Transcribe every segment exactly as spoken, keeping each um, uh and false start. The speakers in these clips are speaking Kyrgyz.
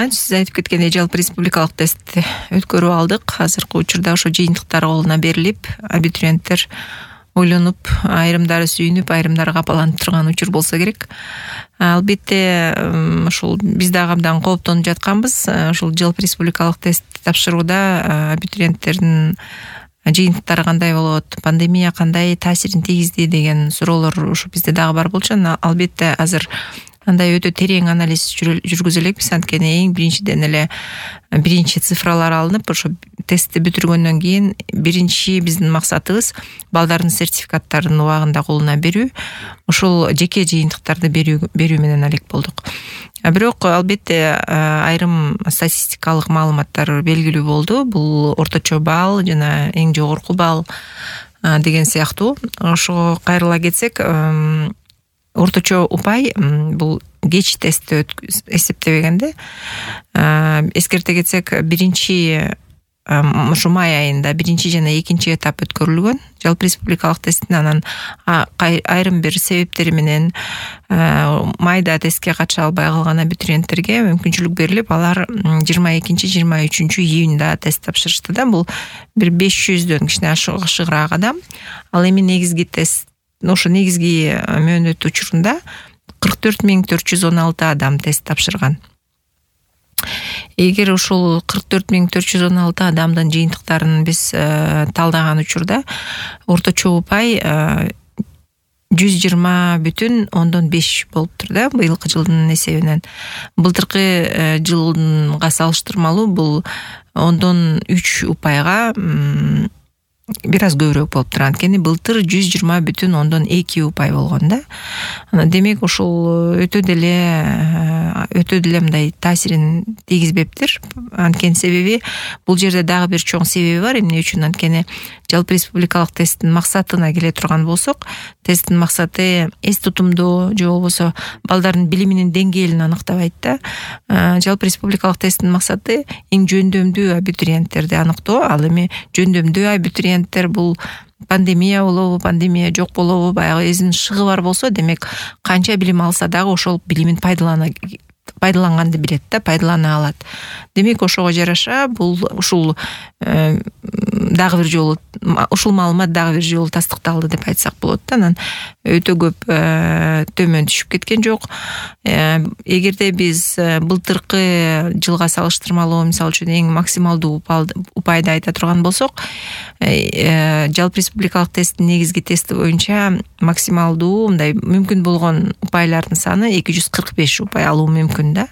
менен сиз айтып кеткендей жалпы республикалык тестти өткөрүп алдык. Азыркы учурда ошо жыйынтыктар колуна берилип, абитуриенттер ойлонуп, айрымдары сүйүнүп, айрымдары капаланып турган учур болсо керек. Албетте ушул биз дагы абдан кооптонуп жатканбыз. Ушул жалпы республикалык тест тапшырууда абитуриенттердин жыйынтыктары кандай болот, пандемия кандай таасирин тийгизди деген суроолор ушу бизде дагы бар болчу. Албетте азыр андай өтө терең анализ жүргүзө элекпиз. Анткени эң биринчиден эле биринчи цифралар алынып, ошо тестти бүтүргөндөн кийин биринчи биздин максатыбыз балдардын сертификаттарын убагында колуна берүү. Ошол жеке жыйынтыктарды берүү берүү менен алек болдук. Бирок албетте айрым статистикалык маалыматтар белгилүү болду. Бул орточо балл жана эң жогорку балл деген сыяктуу. Ошого кайрыла кетсек, орточо упай бул кеч тестти эсептебегенде, эскерте кетсек, биринчи ушу май айында биринчи жана экинчи этап өткөрүлгөн жалпы республикалык тесттин. Анан айрым бир себептери менен майда тестке катыша албай калган абитуриенттерге мүмкүнчүлүк берилип, алар жыйырма экинчи жыйырма үчүнчү июнда тест тапшырышты да. Бул бир беш жүздөн кичине ашыгыраак адам. Ал эми негизги тест, ошо негизги мөөнөт учурунда кырк төрт миң төрт жүз он алты адам тест тапшырган. Эгер ушул кырк төрт миң төрт жүз он алты адамдын жыйынтыктарын биз талдаган учурда орточо упай жүз жыйырма бүтүн ондон беш болуптур да, быйылкы жылдын эсебинен. Былтыркы жылга салыштырмалуу бул ондон үч упайга бир аз көбүрөөк болуптур. Анткени былтыр жүз жыйырма бүтүн ондон эки упай болгон да. Демек ушул өтө деле өтө деле мындай таасирин тийгизбептир. Анткени себеби бул жерде дагы бир чоң себеби бар. Эмне үчүн? Анткени жалпы республикалык тесттин максатына келе турган болсок, тесттин максаты эс тутумдоо же болбосо балдардын билиминин деңгээлин аныктабайт да. Жалпы республикалык тесттин максаты эң жөндөмдүү абитуриенттерди аныктоо. Ал эми жөндөмдүү абитуриенттер бул пандемия болобу, пандемия жок болобу, баягы өзүнүн шыгы бар болсо, демек канча билим алса дагы ошол билимин пайдалана пайдаланганды билет да, пайдалана алат. Демек ошого жараша бул ушул дагы бир жолу ушул маалымат дагы бир жолу тастыкталды деп айтсак болот да. Анан өтө көп төмөн түшүп кеткен жок. Эгерде биз былтыркы жылга салыштырмалуу, мисалы үчүн эң максималдуу упайды айта турган болсок, жалпы республикалык тесттин негизги тести боюнча максималдуу мындай мүмкүн болгон упайлардын саны эки жүз кырк беш упай алуу мүмкүн да.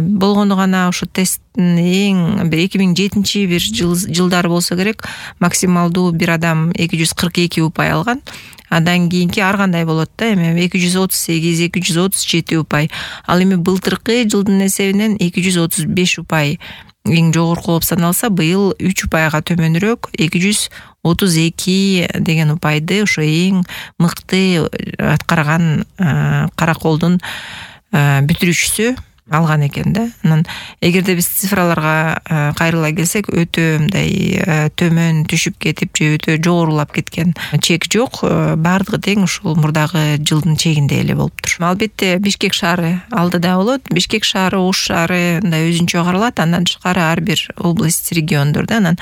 Болгону гана ушу тесттин эң эки миң жетинчи бир жылдары болсо керек, максималдуу бир адам эки жүз кырк эки упай алган. Андан кийинки ар кандай болот да, эми эки жүз отуз сегиз, эки жүз отуз жети упай. Ал эми былтыркы жылдын эсебинен эки жүз отуз беш упай эң жогорку болуп саналса, быйыл үч упайга төмөнүрөөк эки жүз отуз эки деген упайды ошо эң мыкты аткарган караколдун бүтүрүүчүсү алган экен да. Анан эгерде биз цифраларга кайрыла келсек, өтө мындай төмөн түшүп кетип же өтө жогорулап кеткен чек жок. Бардыгы тең ушул мурдагы жылдын чегинде эле болуптур. Албетте Бишкек шаары алдыда болот. Бишкек шаары, Ош шаары мындай өзүнчө каралат. Андан тышкары ар бир область, региондор да. Анан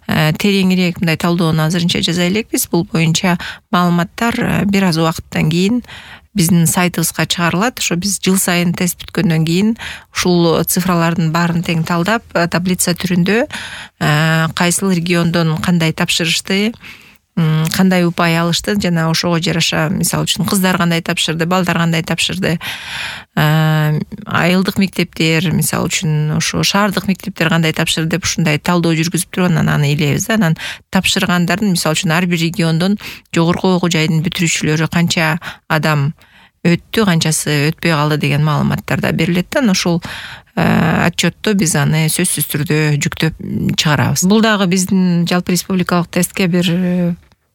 тереңирээк мындай талдоону азырынча жаза элекпиз. Бул боюнча маалыматтар бир аз убакыттан кийин биздин сайтыбызга чыгарылат. Ошо биз жыл сайын тест бүткөндөн кийин ушул цифралардын баарын тең талдап, таблица түрүндө кайсыл региондон кандай тапшырышты, кандай упай алышты жана ошого жараша, мисалы үчүн кыздар кандай тапшырды, балдар кандай тапшырды, айылдык мектептер, мисалы үчүн ошо шаардык мектептер кандай тапшырды деп ушундай талдоо жүргүзүп туруп анан аны илебиз да. Анан тапшыргандардын, мисалы үчүн ар бир региондон жогорку окуу жайдын бүтүрүүчүлөрү канча адам өттү, канчасы өтпөй калды деген маалыматтар да берилет да. Ошол отчетто биз аны сөзсүз түрдө жүктөп чыгарабыз. Бул дагы биздин жалпы республикалык тестке бир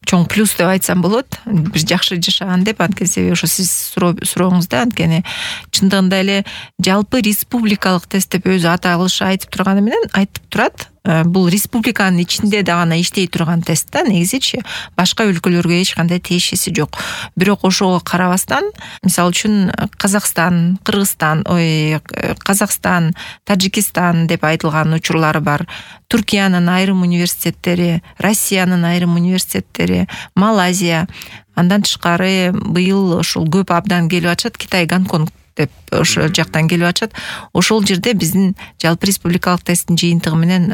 чоң плюс деп айтсам болот. Бир жакшы жашаган деп, анткени себеби ошо сиз сурооңузда, анткени чындыгында эле жалпы республикалык тест деп өзү аталышы айтып турганы менен айтып турат. бул республиканын ичинде да гана иштей турган тест да, негизичи башка өлкөлөргө эч кандай тиешеси жок. Бирок ошого карабастан, мисалы үчүн Казакстан, Кыргызстан, ой, Казакстан, Тажикистан деп айтылган учурлары бар. Түркиянын айрым университеттери, Россиянын айрым университеттери, Малайзия, андан тышкары быйыл ушул көп абдан келип атышат, Китай, Гонконг деп ошол жактан келип атышат. Ошол жерде биздин жалпы республикалык тесттин жыйынтыгы менен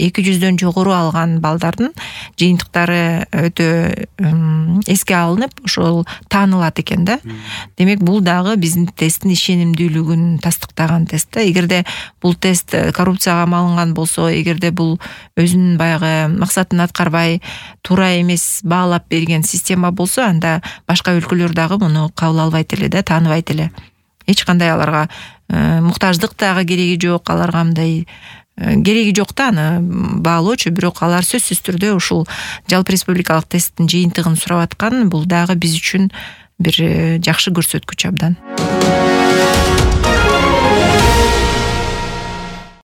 эки жүздөн жогору алган балдардын жыйынтыктары өтө эске алынып, ошол таанылат экен да. Демек бул дагы биздин тесттин ишенимдүүлүгүн тастыктаган тест да. Эгерде бул тест коррупцияга малынган болсо, эгерде бул өзүнүн баягы максатын аткарбай, туура эмес баалап берген система болсо, анда башка өлкөлөр дагы муну кабыл албайт эле да, тааныбайт эле. Эч кандай аларга муктаждык дагы кереги жок, аларга мындай кереги жок да аны баалоочу, бирок алар сөзсүз түрдө ушул жалпы республикалык тесттин жыйынтыгын сурап аткан, бул дагы биз үчүн бир жакшы көрсөткүч абдан.